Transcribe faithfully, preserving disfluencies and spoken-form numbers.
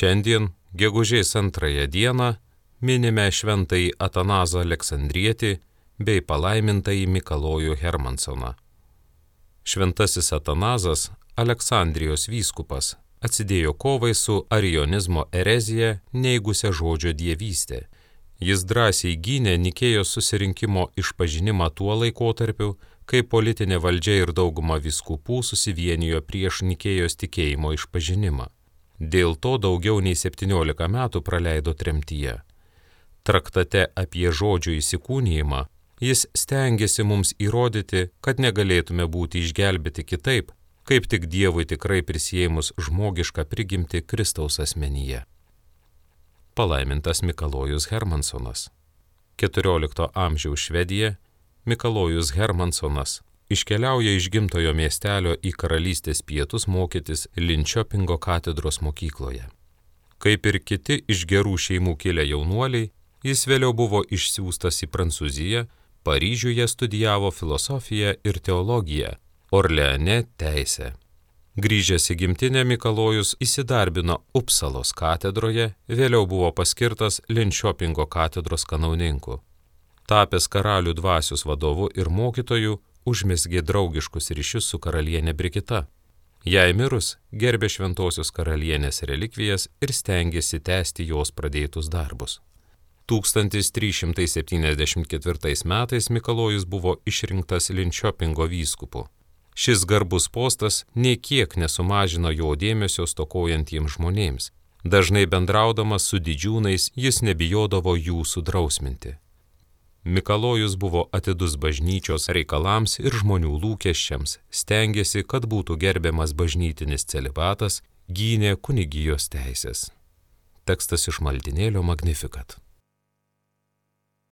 Šiandien, gegužės antrąją dieną, minime šventąjį Atanazą Aleksandrietį bei palaimintąjį Mikalojų Hermansoną. Šventasis Atanazas, Aleksandrijos vyskupas, atsidėjo kovai su arijonizmo erezija neigusią žodžio dievystę. Jis drąsiai gynė Nikėjos susirinkimo išpažinimą tuo laikotarpiu, kai politinė valdžia ir dauguma vyskupų susivienijo prieš Nikėjos tikėjimo išpažinimą. Dėl to daugiau nei septyniolika metų praleido tremtyje. Traktate apie žodžio įsikūnijimą jis stengiasi mums įrodyti, kad negalėtume būti išgelbėti kitaip, kaip tik Dievui tikrai prisijėmus žmogišką prigimtį Kristaus asmenyje. Palaimintas Mikalojus Hermansonas. keturiolikto amžiaus Švedija, Mikalojus Hermansonas iškeliauja iš gimtojo miestelio į karalystės pietus mokytis Linčiopingo katedros mokykloje. Kaip ir kiti iš gerų šeimų kilę jaunuoliai, jis vėliau buvo išsiųstas į Prancūziją, Paryžiuje studijavo filosofiją ir teologiją, Orleane teisę. Grįžęs į gimtinę, Mikalojus įsidarbino Upsalos katedroje, vėliau buvo paskirtas Linčiopingo katedros kanauninku. Tapęs karalių dvasios vadovu ir mokytoju, užmezgė draugiškus ryšius su karalienė Brigita. Jai mirus, gerbė šventosios karalienės relikvijas ir stengėsi tęsti jos pradėtus darbus. tūkstantis trys šimtai septyniasdešimt ketvirtais metais Mikalojus buvo išrinktas Linčiopingo vyskupu. Šis garbus postas nė kiek nesumažino jo dėmesio stokojantiems žmonėms. Dažnai bendraudamas su didžiūnais jis nebijodavo jų sudrausminti. Mikalojus buvo atidus bažnyčios reikalams ir žmonių lūkesčiams, stengėsi, kad būtų gerbiamas bažnytinis celibatas, gynė kunigijos teisės. Tekstas iš maldynėlio Magnificat.